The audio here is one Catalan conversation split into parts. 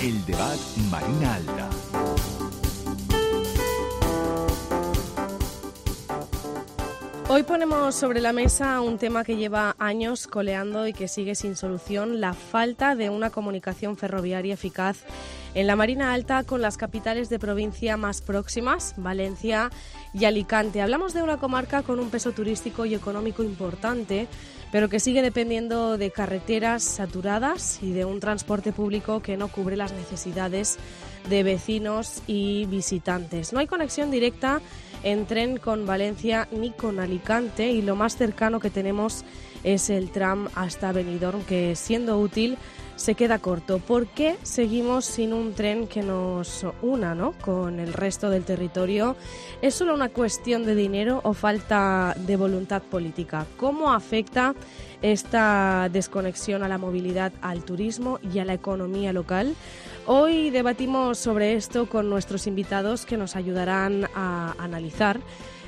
El debat Marina Alta. Hoy ponemos sobre la mesa un tema que lleva años coleando y que sigue sin solución: la falta de una comunicación ferroviaria eficaz en la Marina Alta con las capitales de provincia más próximas, Valencia y Alicante. Hablamos de una comarca con un peso turístico y económico importante, pero que sigue dependiendo de carreteras saturadas y de un transporte público que no cubre las necesidades de vecinos y visitantes. No hay conexión directa en tren con Valencia ni con Alicante, y lo más cercano que tenemos es el tram hasta Benidorm, que siendo útil se queda corto. ¿Por qué seguimos sin un tren que nos una, con el resto del territorio? ¿Es solo una cuestión de dinero o falta de voluntad política? ¿Cómo afecta esta desconexión a la movilidad, al turismo y a la economía local? Hoy debatimos sobre esto con nuestros invitados, que nos ayudarán a analizar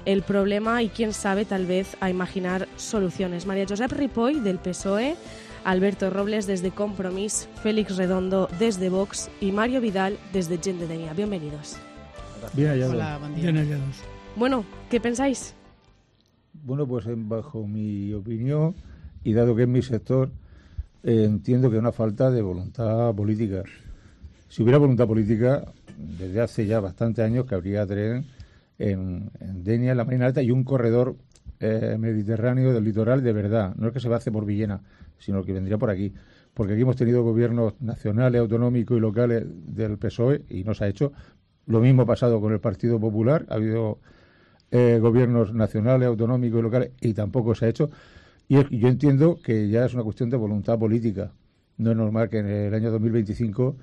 el problema y, quién sabe, tal vez a imaginar soluciones. María Josep Ripoll, del PSOE, Alberto Robles, desde Compromís, Félix Redondo, desde Vox, y Mario Vidal, desde Gent de Denia. Bienvenidos. Bien hallados. Hola, buen día. Bien hallados. Bueno, ¿qué pensáis? Bueno, pues bajo mi opinión, y dado que es mi sector, entiendo que es una falta de voluntad política. Si hubiera voluntad política, desde hace ya bastantes años que habría tren en Denia, en la Marina Alta, y un corredor mediterráneo del litoral de verdad. No es que se hace por Villena, sino que vendría por aquí. Porque aquí hemos tenido gobiernos nacionales, autonómicos y locales del PSOE y no se ha hecho. Lo mismo ha pasado con el Partido Popular. Ha habido gobiernos nacionales, autonómicos y locales y tampoco se ha hecho. Y yo entiendo que ya es una cuestión de voluntad política. No es normal que en el año 2025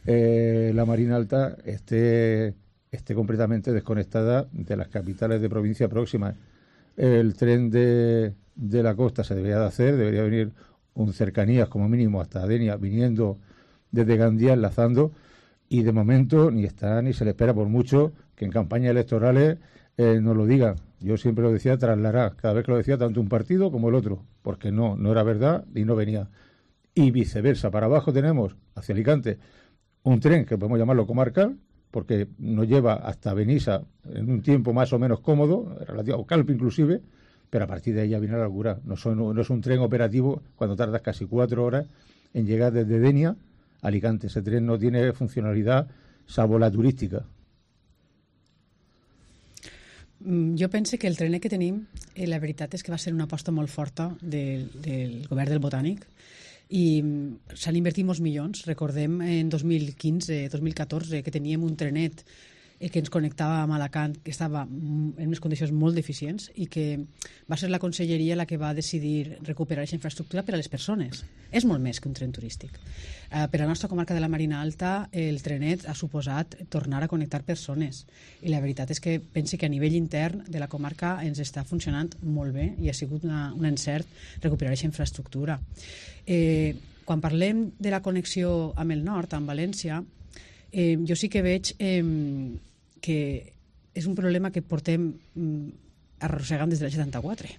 la Marina Alta esté completamente desconectada de las capitales de provincia próximas. El tren de la costa se debería de hacer, debería venir un cercanías como mínimo hasta Denia, viniendo desde Gandía, enlazando, y de momento ni está ni se le espera, por mucho que en campañas electorales nos lo digan. Yo siempre lo decía trasladar, cada vez que lo decía tanto un partido como el otro, porque no era verdad y no venía. Y viceversa, para abajo tenemos, hacia Alicante, un tren que podemos llamarlo comarcal, porque nos lleva hasta Benissa en un tiempo más o menos cómodo, relativo a Calpe inclusive, pero a partir de ahí ya viene la locura. No es un tren operativo cuando tardas casi 4 horas en llegar desde Denia a Alicante. Ese tren no tiene funcionalidad salvo la turística. Jo penso que el trenet que tenim, la veritat és que va ser una aposta molt forta del govern del Botànic, i s'han invertit molts milions. Recordem en 2015-2014 que teníem un trenet que ens connectava amb Alacant, que estava en unes condicions molt deficients, i que va ser la conselleria la que va decidir recuperar aquesta infraestructura per a les persones. És molt més que un tren turístic. Per a la nostra comarca de la Marina Alta, el trenet ha suposat tornar a connectar persones, i la veritat és que penso que a nivell intern de la comarca ens està funcionant molt bé i ha sigut un encert recuperar aquesta infraestructura. Quan parlem de la connexió amb el nord, amb València, jo sí que veig que és un problema que portem arrossegant des del 74,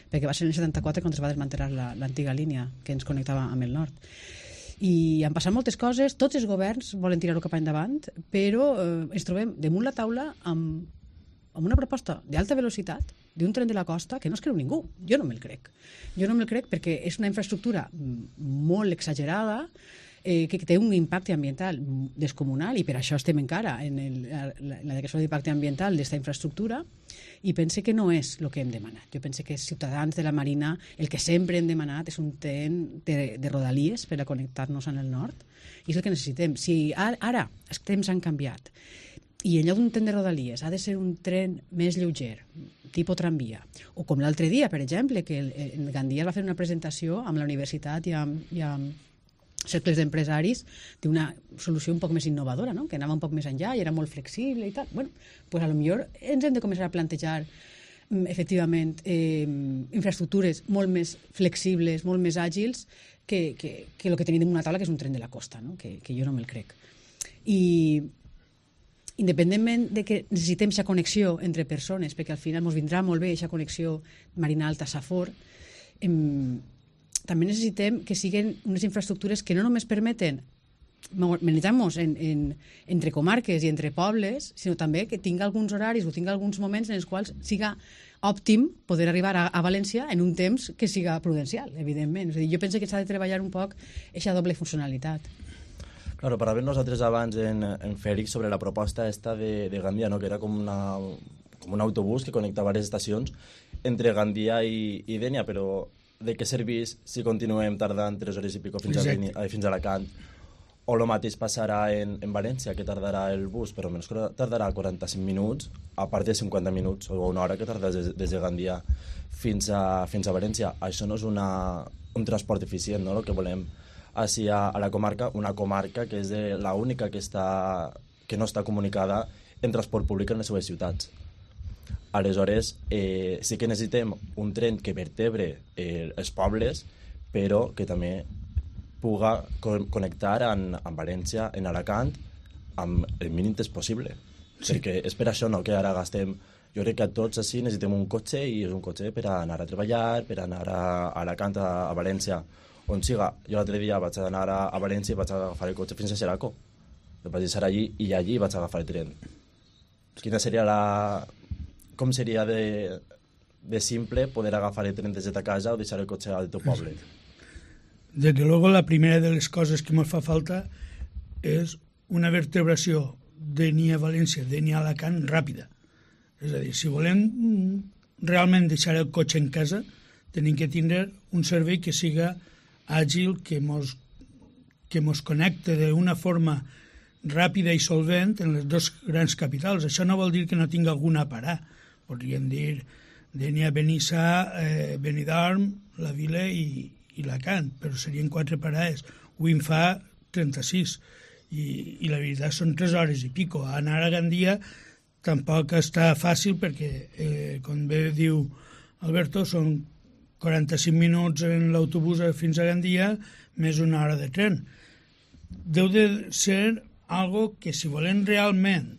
perquè va ser en el 74 quan es va desmantelar l'antiga línia que ens connectava amb el nord. I han passat moltes coses, tots els governs volen tirar-ho cap endavant, però ens trobem damunt la taula amb una proposta d'alta velocitat d'un tren de la costa que no es creu ningú. Jo no me'l crec. Jo no me'l crec perquè és una infraestructura molt exagerada, que té un impacte ambiental descomunal, i per això estem encara en la declaració d'impacte ambiental d'aquesta infraestructura, i pense que no és el que hem demanat. Jo pense que els ciutadans de la Marina el que sempre hem demanat és un tren de rodalies per a connectar-nos en el nord, i és el que necessitem. Si ara els temps han canviat i en lloc d'un tren de rodalies ha de ser un tren més lleuger, tipus tramvia, o com l'altre dia, per exemple, que en Gandia va fer una presentació amb la universitat i amb cercles d'empresaris d'una solució un poc més innovadora, no? Que anava un poc més enllà i era molt flexible i tal. Bueno, pues a lo millor ens hem de començar a plantejar efectivament infraestructures molt més flexibles, molt més àgils que el que tenim en una taula, que és un tren de la costa, no? Que jo no me'l crec. I independentment de que necessitem aquesta connexió entre persones, perquè al final ens vindrà molt bé aquesta connexió Marina Alta-Safor, també necessitem que siguin unes infraestructures que no només permeten manejamos entre comarques i entre pobles, sinó també que tinga alguns horaris o tinga alguns moments en els quals siga òptim poder arribar a València en un temps que siga prudencial, evidentment. És a dir, jo penso que s'ha de treballar un poc aquesta doble funcionalitat. Claro, parlàvem nosaltres abans en Fèlix sobre la proposta esta de Gandia, no? Que era com un autobús que connecta diverses estacions entre Gandia i Dénia, però de què serveix si continuem tardant 3 hores i pico fins a Alacant? O el mateix passarà en València, que tardarà el bus, però almenys tardarà 45 minuts, a part de 50 minuts o una hora que tarda des de Gandia fins a València. Això no és un transport eficient, no? El que volem així a la comarca, una comarca que és l'única que no està comunicada en transport públic en les seves ciutats. Aleshores, sí que necessitem un tren que vertebre els pobles, però que també puga connectar amb València, en Alacant, amb el mínim temps possible. Sí. Perquè és per això que ara gastem... Jo crec que tots així necessitem un cotxe, i és un cotxe per anar a treballar, per anar a Alacant, a València, on siga. Jo l'altre dia vaig anar a València i vaig agafar el cotxe fins a Xeraco. El vaig deixar allí i allí vaig agafar el tren. Quina seria com seria de simple poder agafar el tren des de ta casa o deixar el cotxe al teu poble? Desde luego, la primera de les coses que ens fa falta és una vertebració d'Enia a València, d'Enia a Alacant ràpida. És a dir, si volem realment deixar el cotxe en casa, tenim que tindre un servei que siga àgil, que mos connecte d'una forma ràpida i solvent en les dues grans capitals. Això no vol dir que no tingui alguna a parar. Podríem dir Dénia, Benissa, Benidorm, la Vila i Alacant, però serien 4 parades. Avui en fa 36 i la veritat són 3 hores i pico. Anar a Gandia tampoc està fàcil perquè, com bé diu Alberto, són 45 minuts en l'autobús fins a Gandia més una hora de tren. Deu de ser algo que, si volem realment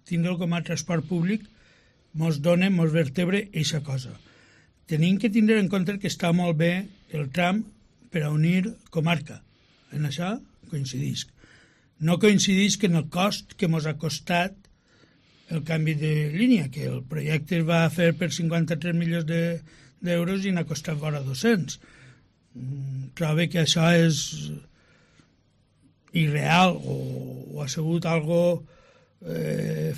tindre'l com a transport públic, mos vertebre eixa cosa. Tenim que tindre en compte que està molt bé el tram per a unir comarca. En això coincidisc. No coincidisc en el cost que mos ha costat el canvi de línia, que el projecte es va fer per 53 milions d'euros i n'ha costat vora 200. Trobo que això és irreal o ha sigut algo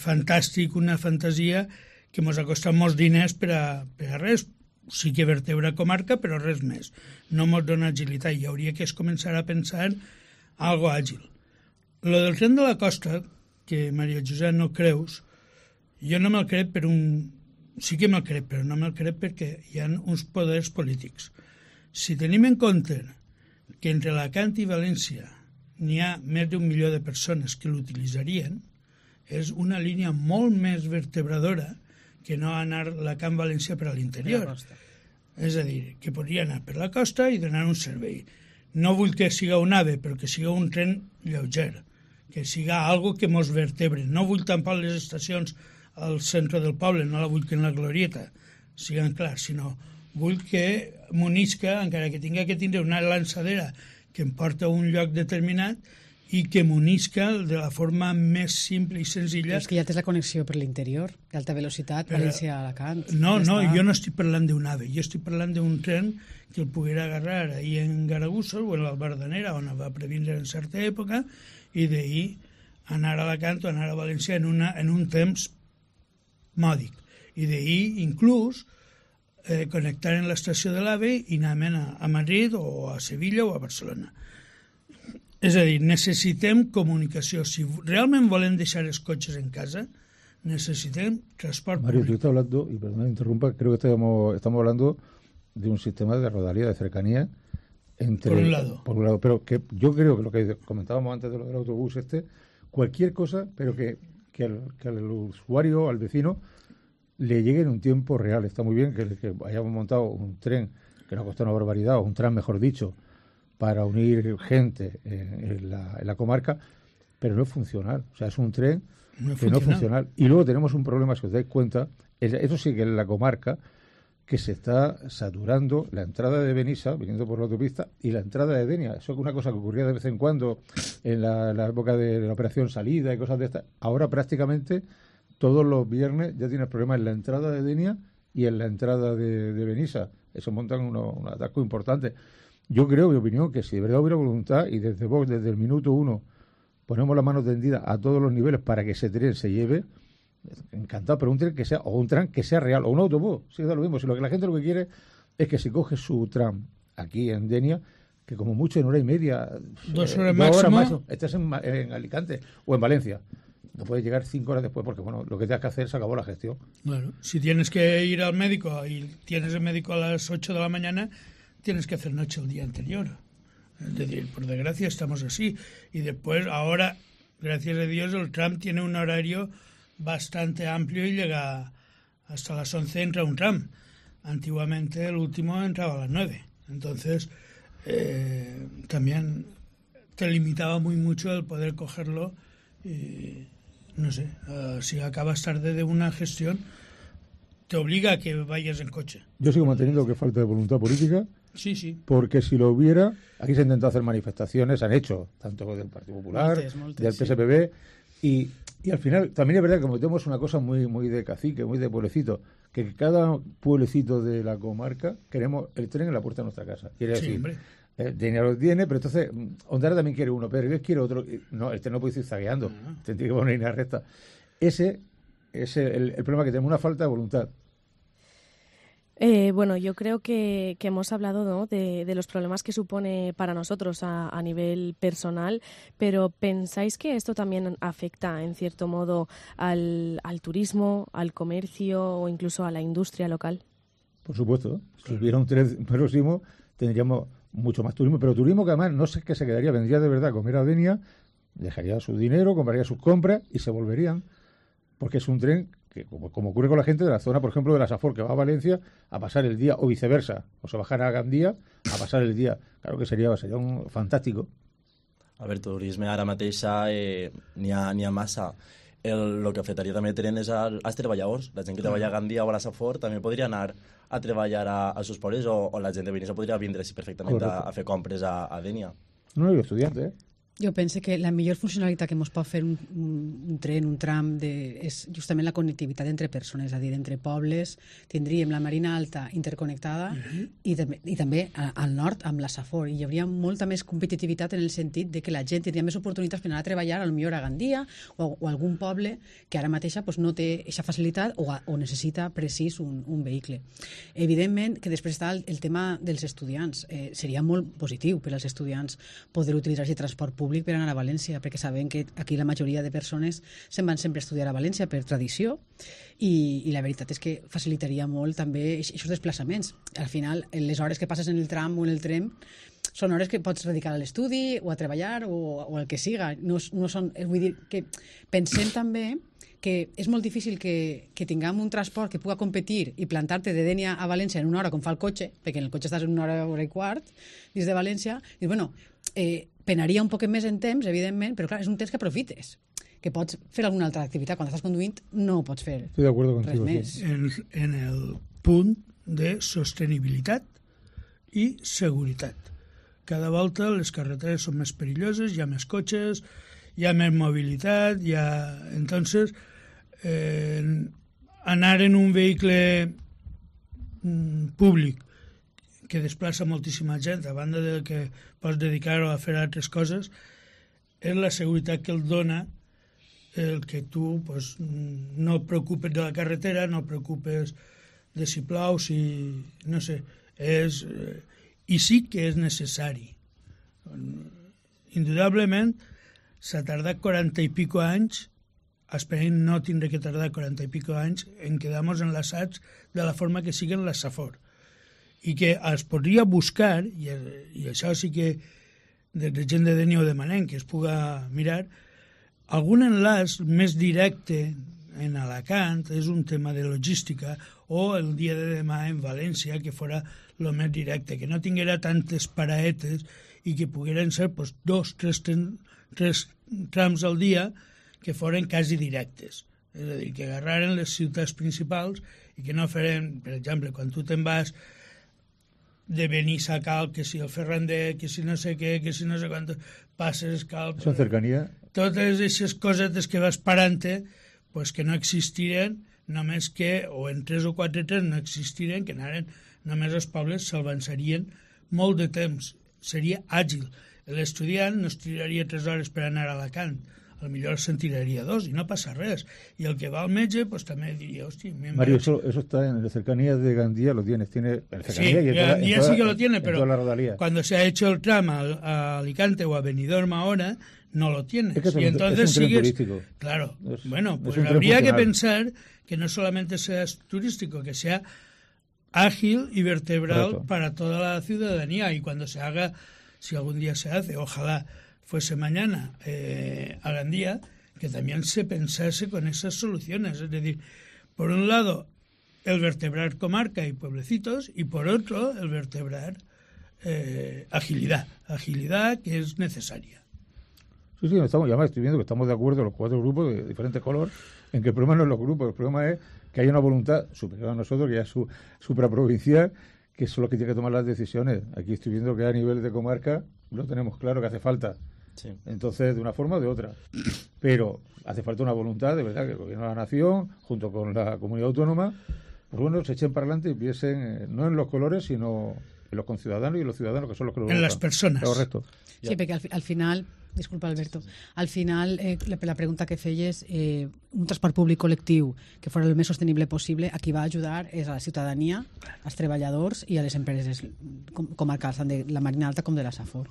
fantàstic, una fantasia que ens ha costat molts diners per a res. Sí que vertebra comarca, però res més. No ens dona agilitat i hauria que començar a pensar en algo àgil. Lo del tren de la costa, que Maria Josep no creus, jo no me'l crec sí que me'l crec, però no me'l crec perquè hi ha uns poders polítics. Si tenim en compte que entre Alacant i València n'hi ha més d'1 milió de persones que l'utilitzarien, és una línia molt més vertebradora que no anar la Camp València per a l'interior. És a dir, que podria anar per la costa i donar un servei. No vull que siga un AVE, però que siga un tren lleuger, que siga algo que mos vertebre. No vull tampoc les estacions al centre del poble, no la vull que en la glorieta siguin clars, sinó vull que m'unisca, encara que tinga que tindre una lançadera que em porta a un lloc determinat, i que m'unisca de la forma més simple i senzilla. Però és que ja tens la connexió per l'interior, d'alta velocitat, València a Alacant. No, jo no estic parlant d'un AVE, jo estic parlant d'un tren que el poguera agarrar ahir en Garagussos o en l'Albardanera, on va previndre en certa època, i d'ahir anar a Alacant o anar a València en un temps mòdic. I d'ahir, inclús, connectar en l'estació de l'AVE i anar a Madrid o a Sevilla o a Barcelona. És a dir, necessitem comunicació. Si realment volem deixar els cotxes en casa, necessitem transport Mario, público. tú estás hablando, y perdón, interrumpa, creo que estamos hablando de un sistema de rodalía, de cercanía, entre... Por un lado. Pero que yo creo que lo que comentábamos antes de lo del autobús cualquier cosa, pero que al usuario, al vecino, le llegue en un tiempo real. Está muy bien que hayamos montado un tren que nos costó una barbaridad, o un tram, mejor dicho, para unir gente en la comarca, pero no es funcional. O sea, es un tren que no es funcional. Y luego tenemos un problema, si os dais cuenta, eso sí que en la comarca que se está saturando la entrada de Benissa, viniendo por la autopista, y la entrada de Denia. Eso es una cosa que ocurría de vez en cuando en la época de la operación salida y cosas de estas. Ahora prácticamente todos los viernes ya tienes problemas en la entrada de Denia y en la entrada de Benissa. Eso montan un atasco importante. Yo creo, mi opinión, que si de verdad hubiera voluntad y desde Vox, desde el minuto 1, ponemos la mano tendida a todos los niveles para que ese tren se lleve, encantado, pero un tren que sea, o un tram que sea real, o un autobús, sí, da lo mismo. Si la gente lo que quiere es que si coge su tram aquí en Denia, que como mucho en hora y media, 2 horas máximo, estés en Alicante o en Valencia. No puedes llegar 5 horas después porque, bueno, lo que tienes que hacer se acabó la gestión. Claro, si tienes que ir al médico y tienes el médico a las 8 de la mañana, tienes que hacer noche el día anterior. Es decir, por desgracia estamos así. Y después, ahora, gracias a Dios, el tram tiene un horario bastante amplio y llega hasta las 11, entra un tram. Antiguamente el último entraba a las 9. Entonces, también te limitaba muy mucho el poder cogerlo. Y, no sé, si acabas tarde de una gestión, te obliga a que vayas en coche. Yo sigo manteniendo que falta de voluntad política. Sí. Porque si lo hubiera, aquí se han intentado hacer manifestaciones, han hecho, tanto del Partido Popular, del PSPB, y al final también es verdad que como tenemos una cosa muy de cacique, muy de pueblecito, que cada pueblecito de la comarca queremos el tren en la puerta de nuestra casa. Quiere decir, dinero lo tiene, pero entonces Ondara también quiere uno, pero yo quiero otro. No, el tren no puede ir zagueando, tiene que poner una línea recta. Ese es el problema que tenemos, una falta de voluntad. Bueno, yo creo que hemos hablado, ¿no?, de los problemas que supone para nosotros a nivel personal, pero ¿pensáis que esto también afecta, en cierto modo, al turismo, al comercio o incluso a la industria local? Por supuesto. Si hubiera un tren próximo, tendríamos mucho más turismo, pero turismo que además no sé qué se quedaría, vendría de verdad a comer a Denia, dejaría su dinero, compraría sus compras y se volverían, porque es un tren que, como ocurre con la gente de la zona, por ejemplo, de la Safor, que va a Valencia a pasar el día, o viceversa, o se bajarà a Gandía a pasar el día. Claro que sería un fantástico. A veure, turisme ara mateix n'hi ha massa. El que afectaria també tren és als treballadors. La gent que treballa a Gandia o a la Safor també podria anar a treballar als seus pobles, o la gent de Benissa podria vindre perfectament a fer compres a Denia. No, jo estudiante, Jo penso que la millor funcionalitat que ens pot fer un tren, un tram, és justament la connectivitat entre persones, és a dir, entre pobles. Tindríem la Marina Alta interconnectada i també al nord amb la Safor. I hi hauria molta més competitivitat en el sentit de que la gent tindria més oportunitats per anar a treballar, potser a Gandia o algun poble que ara mateixa no té aquesta facilitat o necessita precís un vehicle. Evidentment que després està el tema dels estudiants. Seria molt positiu per als estudiants poder utilitzar aquest transport públic per anar a València, perquè sabem que aquí la majoria de persones se'n van sempre a estudiar a València per tradició i la veritat és que facilitaria molt també aquests desplaçaments. Al final, les hores que passes en el tram o en el tren són hores que pots dedicar a l'estudi o a treballar o el que siga. No són, vull dir que pensem també que és molt difícil que tinguem un transport que puga competir i plantar-te de Denia a València en una hora com fa el cotxe, perquè en el cotxe estàs en una hora i quart des de València, i bueno, penaria un poquet més en temps, evidentment, però clar, és un temps que aprofites, que pots fer alguna altra activitat. Quan estàs conduint no ho pots fer. Estoy de acuerdo contigo, res més. En el punt de sostenibilitat i seguretat. Cada volta les carreteres són més perilloses, hi ha més cotxes, hi ha més mobilitat, entonces anar en un vehicle públic que desplaça moltíssima gent, a banda de que pots dedicar-ho a fer altres coses, és la seguretat que el dona el que tu no et preocupes de la carretera, no et preocupes de si plou, no sé, i sí que és necessari. Indudablement s'ha tardat 40 i pico anys, esperem no tindre que tardar 40 i pico anys en quedar-nos enlaçats de la forma que siguen la Safor. I que es podria buscar, i això sí que des de gent de Denia ho demanem, que es puga mirar, algun enllaç més directe en Alacant, és un tema de logística, o el dia de demà en València, que fora el més directe, que no tinguera tantes paraetes i que pogueren ser 2, 3 trams al dia que foren quasi directes. És a dir, que agarraren les ciutats principals i que no farem, per exemple, quan tu te'n vas de Benissa a Calp, que si el Ferrandet, que si no sé què, que si no sé quant, passes Calp... Són cercanía. Totes aquestes cosetes que vas parant-te, pues que no existiren, només que, o en 3 o 4 trens no existiren, que anaren, només els pobles s'avançarien molt de temps, seria àgil. L'estudiant no es tiraria 3 hores per anar a Alacant, potser se'n tiraria 2 i no passa res. Y el que va al metge, pues també diría, hostia... Mario, eso está en las cercanías de Gandía, lo tienes. Tiene sí, Gandía sí que lo tiene, pero cuando se ha hecho el tramo a Alicante o a Benidorm ahora, no lo tienes. Es que y entonces es un tren sigues... turístico. Claro, es, bueno, pues es habría que pensar que no solamente sea turístico, que sea ágil y vertebral Correcto. para toda la ciudadanía. Y cuando se haga, si algún día se hace, ojalá fuese mañana a Gandía, que también se pensase con esas soluciones. Es decir, por un lado, el vertebrar comarca y pueblecitos, y por otro, el vertebrar agilidad que es necesaria. Sí, estamos, ya estoy viendo que estamos de acuerdo los 4 grupos de diferente color, en que el problema no es los grupos, el problema es que hay una voluntad superior a nosotros, que ya es supraprovincial, que son los que tienen que tomar las decisiones. Aquí estoy viendo que a nivel de comarca lo tenemos claro que hace falta. Sí. Entonces, de una forma o de otra. Pero hace falta una voluntad, de verdad, que el Gobierno de la Nación, junto con la comunidad autónoma, pues bueno, se echen para adelante y piensen no en los colores, sino en los conciudadanos y los ciudadanos, que son los que lo en las personas. Correcto. Sí, perquè al final... Disculpa, Alberto. Al final, la pregunta que feies, un transport públic col·lectiu que fos el més sostenible possible, a qui va ajudar és a la ciutadania, als treballadors i a les empreses comarcals, tant de la Marina Alta com de la Safor.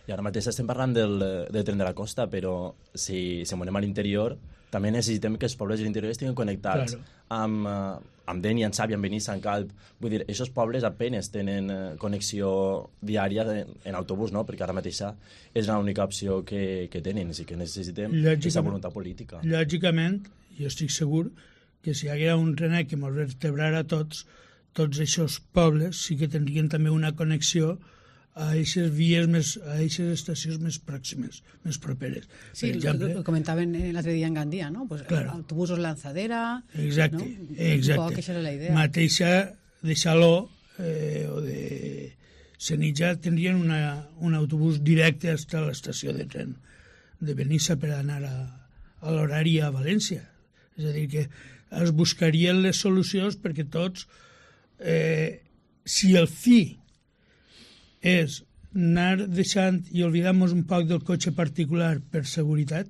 I ara mateix estem parlant del tren de la costa, però si anem a l'interior, també necessitem que els pobles de l'interior estiguin connectats amb Dénia, amb Sàvia, amb Benissa, amb Calp. Vull dir, aquests pobles apenes tenen connexió diària en autobús, no? Perquè ara mateixa és l'única opció que tenen, i que necessitem aquesta voluntat política. Lògicament, jo estic segur que si hi haguera un trenet que ens vertebrara tots aquests pobles sí que tindrien també una connexió a aquestes vies a aquestes estacions més pròximes, més properes. Sí, ho comentaven l'altre dia en Gandia, no? Pues claro. Autobusos Lanzadera... Exacte, ¿no? exacte. Un poc, això era la idea. Mateixa de Saló o de Senija tindrien un autobús directe fins a l'estació de tren de Benissa per anar a l'horari a València. És a dir, que es buscarien les solucions perquè tots, si el fi és anar deixant i oblidar-nos un poc del cotxe particular per seguretat,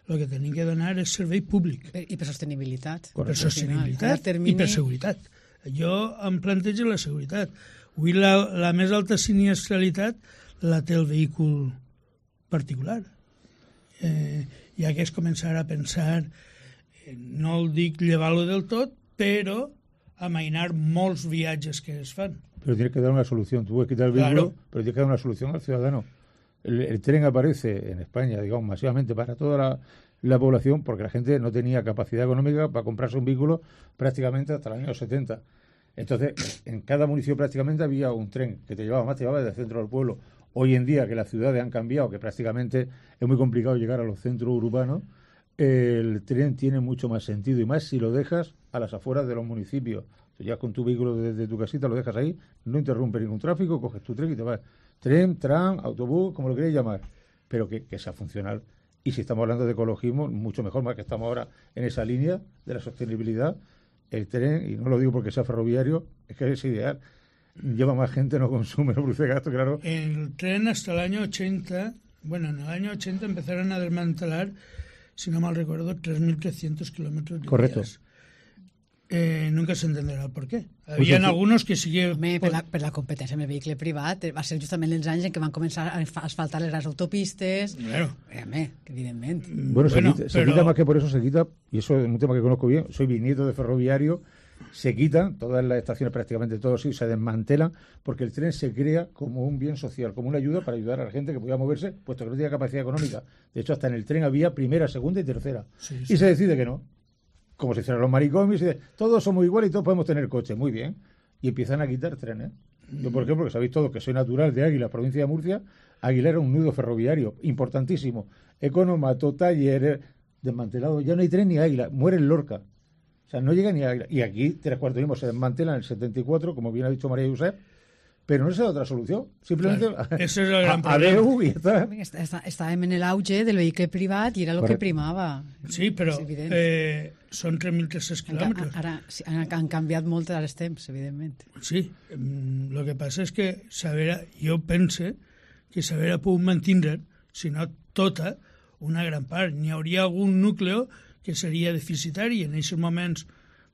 el que tenim que donar és servei públic. I per sostenibilitat. Per sostenibilitat i per seguretat. Jo em plantejo la seguretat. Avui la més alta sinistralitat la té el vehícul particular. Ja que es començar a pensar, no el dic llevar-lo del tot, però amainar molts viatges que es fan. Pero tienes que dar una solución. Tú puedes quitar el vehículo, claro, pero tienes que dar una solución al ciudadano. El tren aparece en España, digamos, masivamente para toda la población, porque la gente no tenía capacidad económica para comprarse un vehículo prácticamente hasta los años 70. Entonces, en cada municipio prácticamente había un tren que te llevaba desde el centro del pueblo. Hoy en día, que las ciudades han cambiado, que prácticamente es muy complicado llegar a los centros urbanos, el tren tiene mucho más sentido, y más si lo dejas a las afueras de los municipios. Si llegas con tu vehículo desde tu casita, lo dejas ahí, no interrumpe ningún tráfico, coges tu tren y te vas. Tren, tram, autobús, como lo queréis llamar, pero que sea funcional. Y si estamos hablando de ecologismo, mucho mejor, más que estamos ahora en esa línea de la sostenibilidad. El tren, y no lo digo porque sea ferroviario, es que es ideal. Lleva más gente, no consume, no produce gasto, claro. El tren hasta el año 80, bueno, en el año 80 empezaron a desmantelar, si no mal recuerdo, 3.300 kilómetros de vías. Nunca se entenderà el per què. Hi ha alguns que sigui... Per la competència amb el vehicle privat va ser justament els anys en què van començar a asfaltar les autopistes. Claro. Evidentment. Bueno, se quita más que por eso se quita, y eso es un tema que conozco bien, soy bisnieto de ferroviario, se quitan todas las estaciones, prácticamente todos, se desmantelan, porque el tren se crea como un bien social, como una ayuda para ayudar a la gente que podía moverse, puesto que no tenía capacidad económica. De hecho, hasta en el tren había primera, segunda y tercera. Sí. Y se decide que no. Como si fueran los maricomis, y todos somos iguales y todos podemos tener coche, muy bien. Y empiezan a quitar trenes. Yo, por ejemplo, que sabéis todos que soy natural de Águila, provincia de Murcia, Águila era un nudo ferroviario importantísimo. Economato, talleres, desmantelado. Ya no hay tren ni Águila, muere en Lorca. O sea, no llega ni a... Y aquí, Tres Cuartos Mismos se desmantela en el 74, como bien ha dicho María Josep, pero no se da otra solución. Simplemente Claro, ese es el gran problema. adeu y ya está. Estàvem en l'auge del vehicle privat i era el que primava. Sí, però És evident. són 3.300 quilòmetres. Ara sí, han canviat molt els temps, evidentment. Sí, el que passa és que jo pense que s'haver pogut mantenir, si no tota, una gran part. N'hi hauria algun núcleo que seria deficitari i en aquests moments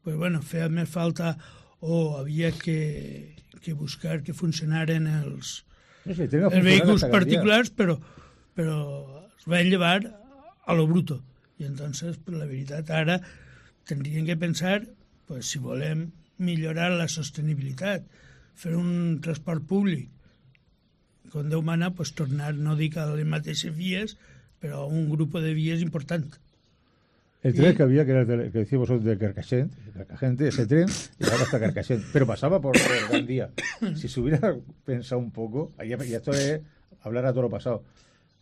pues, bueno, feia més falta o havia que buscar que funcionaren els vehicles particulars, però es van llevar a lo bruto. I entonces, pues, la veritat, ara tindríem que pensar, pues, si volem millorar la sostenibilitat, fer un transport públic, com Déu mana, pues, tornar, no dic a les mateixes vies, però a un grup de vies important. El tren que había, que era el que decíamos de Carcassent, ese tren, llegaba hasta Carcassent, pero pasaba por Gandía. Si se hubiera pensado un poco, y esto es hablar a todo lo pasado,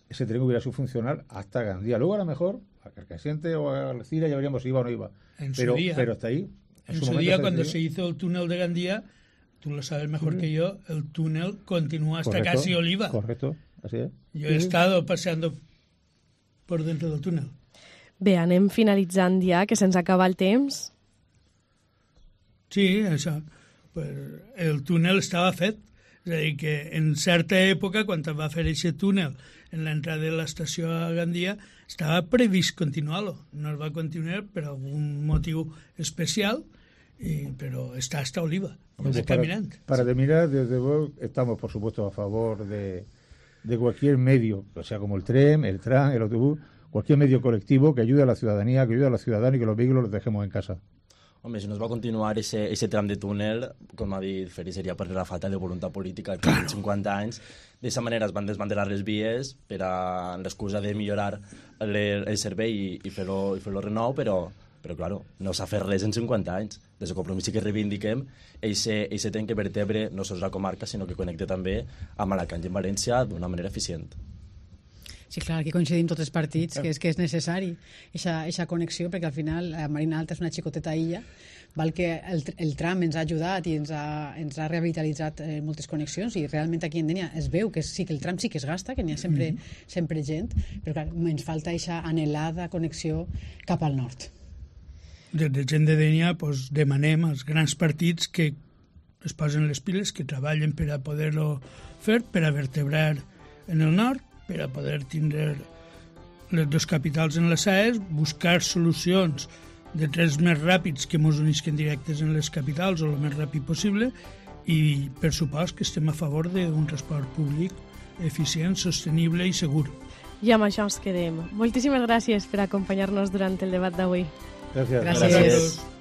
ese tren hubiera sido funcional hasta Gandía. Luego a lo mejor a Carcassent o a Algeciras ya veríamos si iba o no iba. Pero hasta ahí. En su día, cuando se hizo el túnel de Gandía, tú lo sabes mejor que yo, el túnel continúa hasta casi Oliva. Correcto, así es. Yo he estado paseando por dentro del túnel. Bé, anem finalitzant ja, que se'ns acaba el temps. Sí, això. Pues el túnel estava fet. És a dir, que en certa època, quan es va fer aquest túnel en l'entrada de l'estació a Gandia, estava previst continuar-lo. No es va continuar per algun motiu especial, pero está hasta Oliva, caminante. Para terminar, desde luego, estamos, por supuesto, a favor de cualquier medio, o sea, como el tren, el tram, el autobús, cualquier medio colectivo que ayude a la ciudadanía, que ayude a los ciudadanos y que los vehículos los dejemos en casa. Hombre, si no es va continuar ese tram de túnel, com ha dit Feri, seria per la falta de voluntat política que en 50 anys. D'aquesta manera es van desmantelar les vies per a l'excusa de millorar el servei i fer-lo renou, però claro, no s'ha fet res en 50 anys. Des del Compromís sí que reivindiquem aquest tren que vertebre no sols la comarca, sinó que connecta també amb Alacant i amb València d'una manera eficient. Sí, clar, aquí coincidim tots els partits que és necessari aquesta connexió, perquè al final la Marina Alta és una xicoteta illa, val que el tram ens ha ajudat i ens ha revitalitzat moltes connexions, i realment aquí en Dénia es veu que sí que el tram sí que es gasta, que n'hi ha sempre gent, però clar, ens falta aquesta anhelada connexió cap al nord. Des de gent de Dénia pues, demanem als grans partits que es posen les piles, que treballen per a poder-lo fer, per a vertebrar en el nord, per a poder tindre les dues capitals en les SAES, buscar solucions de trens més ràpids que ens unisquen directes en les capitals o el més ràpid possible, i per supost que estem a favor d'un transport públic eficient, sostenible i segur. I amb això ens quedem. Moltíssimes gràcies per acompanyar-nos durant el debat d'avui. Gràcies. Gràcies.